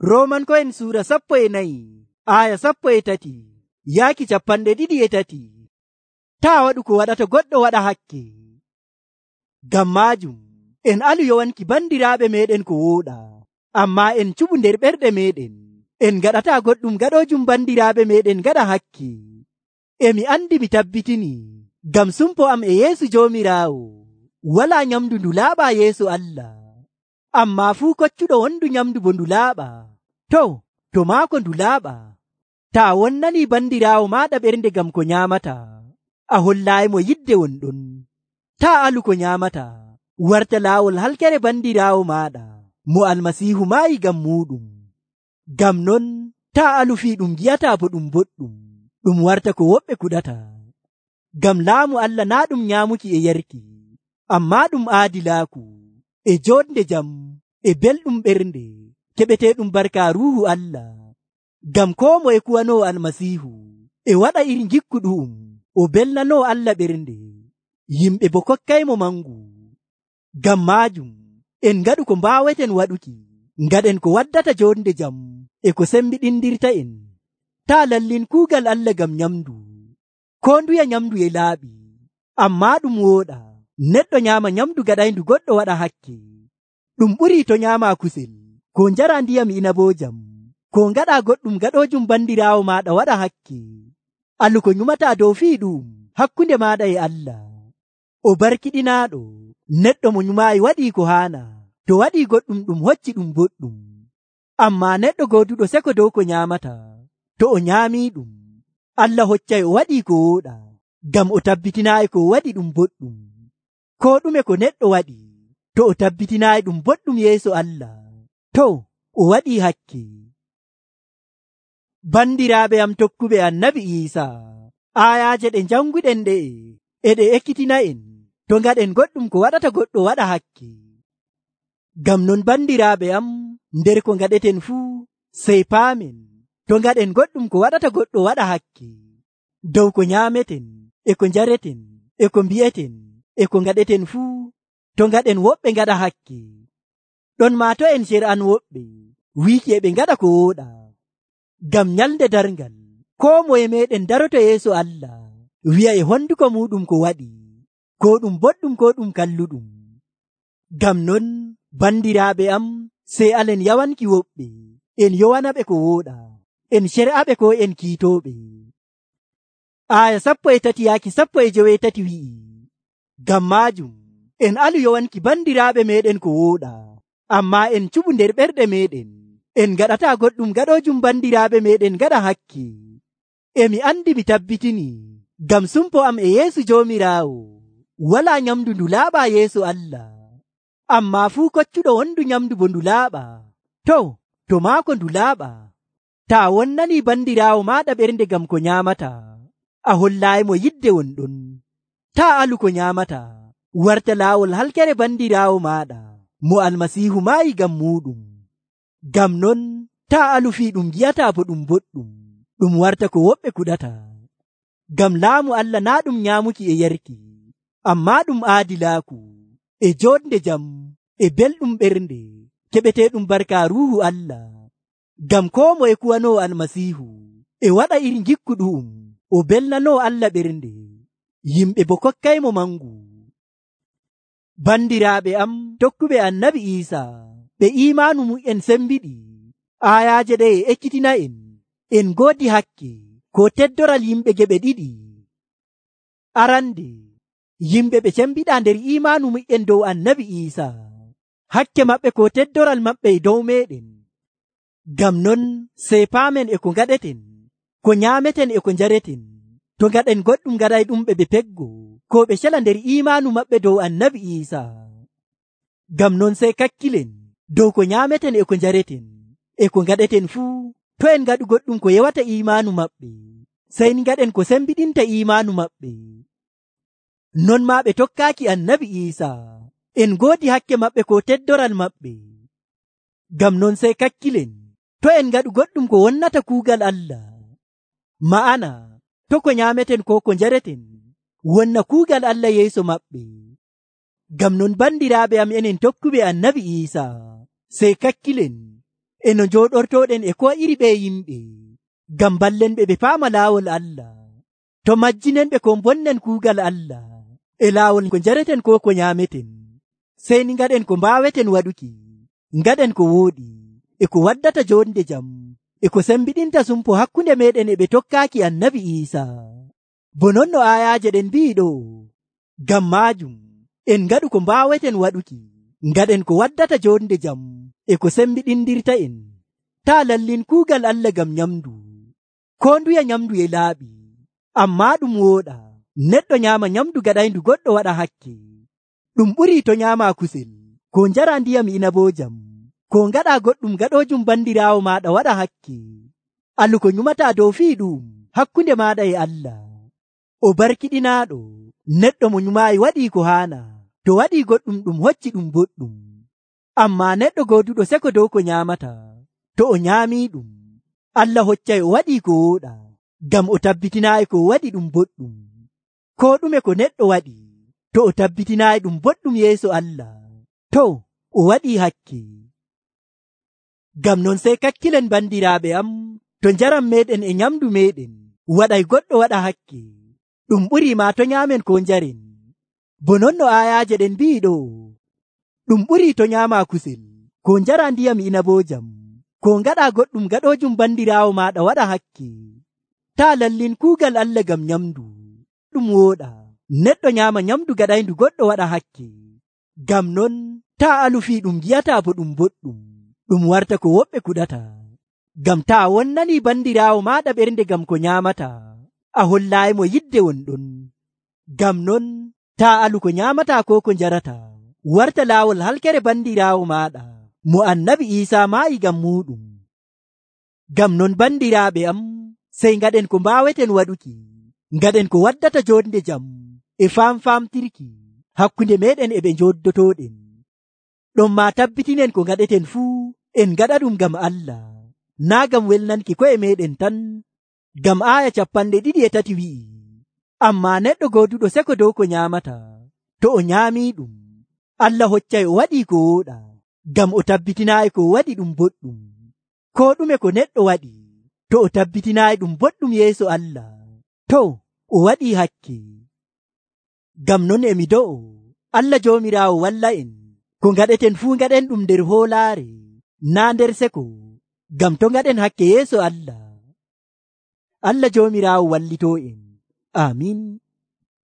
Roomanko'en suura 14 aya 13 yaaki 23. Taa waɗu ko waɗata goɗɗo waɗa hakke. Ngam maajum en alu yowanki bandiraaɓe meeɗen ko wooɗa, ammaa en cuɓu nder ɓerɗe meeɗen. En gaɗataa goɗɗum gaɗoojum bandiraaɓe meeɗen gaɗa hakke. Emi andi mi tabbitini ngam sumpo am e yeesu Joomiraawo, walaa nyamdu ndu laaɓaa yeeso Allah. Ammaa fuu koccuɗo wondu nyamdu bo ndu laaɓaa. To maako ndu laaɓaa. Taa wonnanii bandiraawo maaɗa ɓernde ngam ko nyaamataa, a hollaayimo yidde wonɗon. Taa alu ko nyaamataa, warta laawol halkere bandiraawo maaɗa mo Almasiihu maayi ngam muuɗum. Ngam non taa alu fii ɗum gi'ataa bo ɗum boɗɗum, ɗum warta ko woɓɓe kuɗata. Ngam laamu Allah naa ɗum nyaamuki e yarki, ammaa ɗum aadilaaku e joonde jam e belɗum ɓernde keɓeteeɗum barka Ruuhu Allah. Ngam koo moye kuwanoo Almasiihu e waɗa iri ngikku ɗu'um o belnanoo Allah ɓernde, yimɓe bo kokkaymo mangu. Ngam maajum en ngaɗu ko mbaaweten waɗuki, ngaɗen ko waddata joonde jam e ko sembiɗindirta en. Taa lallin kuugal Allah ngam nyamdu. Koo nduya nyamdu e laaɓi, ammaa ɗum wooɗa neɗɗo nyaama nyamdu gaɗayndu goɗɗo waɗa hakke. Ɗum ɓurii to nyaamaa kusel, ko njara ndiyam inaboojam, ko ngaɗa goɗɗum gaɗoojum bandiraawo maaɗa waɗa hakke. Alu ko nyumataa dow fii ɗum hakkunde maaɗa e Allah. O barkiɗinaaɗo neɗɗo mo nyumaayi waɗii ko haana, to waɗii goɗɗum ɗum hocci ɗum boɗɗum. Ammaa neɗɗo gooduɗo seko dow ko nyaamata, to o nyaamii ɗum, Allah hoccay o waɗii ko wooɗa, ngam o tabbitinaayi ko waɗi ɗum boɗɗum. Koo ɗume ko neɗɗo waɗi, to o tabbitinaayi ɗum boɗɗum yeeso Allah, o waɗii hakke. Bandiraaɓe am tokkuɓe Annabi Iisaa, aayaaje ɗe janguɗen ɗe'e e ɗe ekkitina en to ngaɗen goɗɗum ko waɗata goɗɗo waɗa hakke. Ngam non bandiraaɓe am, nder ko ngaɗeten fuu sey paamen to ngaɗen goɗɗum ko waɗata goɗɗo waɗa hakke, dow ko nyaameten e ko njareten e ko mbi'eten e ko ngaɗeten fuu, to ngaɗen woɓɓe ngaɗa hakke. Ɗon maa to en cer'an woɓɓe wiiki e ɓe ngaɗa ko wooɗa. Ngam nyalde darngal koo moye meeɗen daroto yeeso Allah wi'a e honduko muɗum ko waɗi, ko ɗum boɗɗum ko ɗum kalluɗum. Ngam non bandiraaɓe am, sey alen yawanki woɓɓe, en yowanaɓe ko wooɗa, en cer'aɓe ko en kiitooɓe. Aya 13 yaaki 17 wi'i, ngam maajum en alu yowanki bandiraaɓe meeɗen ko wooɗa, ammaa en cuɓu nder ɓerɗe meeɗen. En gaɗataa goɗɗum gaɗoojum bandiraaɓe meeɗen gaɗa hakke. Emi andi mi tabbitini ngam sumpo am e yeesu Joomiraawo, walaa nyamdu ndu laaɓaa yeeso Allah. Ammaa fuu koccuɗo wondu nyamdu bo ndu laaɓaa. To maako ndu laaɓaa. Taa wonnanii bandiraawo maaɗa ɓernde ngam ko nyaamataa, a hollaayimo yidde wonɗon. Taa alu ko nyaamataa, warta laawol halkere bandiraawo maaɗa mo Almasiihu maayi ngam muuɗum. Ngam non taa alu fii ɗum gi'ataa bo ɗum boɗɗum, ɗum warta ko woɓɓe kuɗata. Ngam laamu Allah naa ɗum nyaamuki e yarki, ammaa ɗum aadilaaku e joonde jam e belɗum ɓernde keɓeteeɗum barka Ruuhu Allah. Ngam koo moye kuwanoo Almasiihu e waɗa iri ngikku ɗu'um o belnanoo Allah ɓernde, yimɓe bo kokkaymo mangu. Bandiraaɓe am tokkuɓe Annabi Iisaa, ɓe iimaanu mu'en sembiɗi, aayaaje ɗe e ekkitina en ngoodi hakke ko teddoral yimɓe geɓe ɗiɗi. Arande, yimɓe ɓe cembiɗa nder iimaanu mu'en dow Annabi Iisaa, hakke maɓɓe ko teddoral maɓɓe e dow meeɗen. Ngam non sey paamen e ko ngaɗeten, ko nyaameten e ko njareten, to ngaɗen goɗɗum gaɗay ɗum ɓe peggo, ko ɓe cela nder iimaanu maɓɓe dow Annabi Iisaa. Ngam non sey kakkilen dow ko nyaameten e ko njareten e ko ngaɗeten fuu, to en ngaɗu goɗɗum ko yewata iimaanu maɓɓe, sey ngaɗen ko sembiɗinta iimaanu maɓɓe. Non maa ɓe tokkaaki Annabi Iisaa, en ngoodi hakke maɓɓe ko teddoral maɓɓe. Ngam non sey kakkilen to en ngaɗu goɗɗum ko wonnata kuugal Allah, ma'ana to ko nyaameten ko ko njareten wonna kuugal Allah yeeso maɓɓe. Ngam non bandiraaɓe am enen tokkuɓe Annabi Iisaa, sey kakkilen e no njooɗortoɗen e ko iri ɓe yimɓe, ngam ballen ɓe paama laawol Allah, to majjinen ɓe ko bonnen kuugal Allah e laawol ko njareten ko nyaameten, sey ni ngaɗen ko mbaaweten waɗuki, ngaɗen ko wooɗi e ko waddata jonde jam e ko sembiɗinta sumpo hakkunde meɗen e ɓe tokkaaki Annabi Iisaa. Bo non no aayaaje ɗen mbi'i ɗo, ngam maajum en ngaɗu ko mbaaweten waɗuki, ngaɗen ko waddata jonde jam e ko sembiɗindirta en. Taa lallin kuugal Allah ngam nyamdu, ko nduya nyamdu e laaɓi, amma ɗum wooɗa neɗɗo nyaama nyamdu gaɗayndu goɗɗo waɗa hakke. Ɗum ɓurii to nyaama kusel, ko njara ndiyam inaboojam, ko ngaɗa goɗɗum gaɗoojum bandiraawo maaɗa waɗa hakke. Alu ko nyumata dow fii ɗum hakkunde maaɗa e Allah. O barkiɗinaaɗo neɗɗo mo nyumaayi waɗii ko haana, to waɗii goɗɗum ɗum hocci ɗum boɗɗum. Amma neɗɗo gooduɗo seko dow ko nyaamata, to o nyaamii ɗum, Allah hoccay o waɗii ko wooɗa, ngam o tabbitinaayi ko waɗi ɗum boɗɗum. Ko ɗume ko neɗɗo waɗi, to o tabbitinaayi ɗum boɗɗum yeeso Allah, to o waɗii hakke. Ngam non sey kakkilen bandiraaɓe am, to njaram meɗen e nyamdu meɗen waɗay goɗɗo waɗa hakke, ɗum ɓurii ma to nyaamen ko njaren. Bo non no aayaaje ɗen mbi'i ɗo, ɗum ɓurii to nyaama kusel, ko njara ndiyam inaboojam, ko ngaɗa goɗɗum gaɗoojum bandiraawo maaɗa waɗa hakke. Taa lallin kuugal Allah ngam nyamdu, ɗum wooɗa neɗɗo nyaama nyamdu gaɗayndu goɗɗo waɗa hakke. Ngam non taa alu fii ɗum gi'ata bo ɗum boɗɗum, ɗum warta ko woɓɓe kuɗata. Ngam taa wonnani bandiraawo maaɗa ɓernde ngam ko nyaamata, a hollaayimo yidde wonɗon. Ngam non taa alu ko nyaamata ko ko njarata warta laawol halkere bandiraawo maaɗa mo Annabi Iisaa maayi ngam muɗum. Ngam non bandiraaɓe am, sey ngaɗen ko mbaaweten waɗuki, ngaɗen ko waddata jonde jam e famtirki hakkunde meɗen e ɓe njoddotoɗen. Ɗon ma tabbitinen ko ngaɗeten fuu en ngaɗa ɗum ngam Allah, naa ngam welnanki ko'e meɗen tan. Ngam aaya 23 wi'i, amma neɗɗo gooduɗo seko dow ko nyaamata, to o nyaamii ɗum, Allah hoccay o waɗii ko wooɗa, ngam o tabbitinaayi ko waɗi ɗum boɗɗum. Ko ɗume ko neɗɗo waɗi, to o tabbitinaayi ɗum boɗɗum yeeso Allah, to o waɗii hakke. Ngam non emi do'o Allah Joomiraawo walla en, ko ngaɗeten fuu ngaɗen ɗum nder hoolaare, naa nder seko, ngam to ngaɗen hakke yeeso Allah. Allah Joomiraawo wallitoo en. Amiin.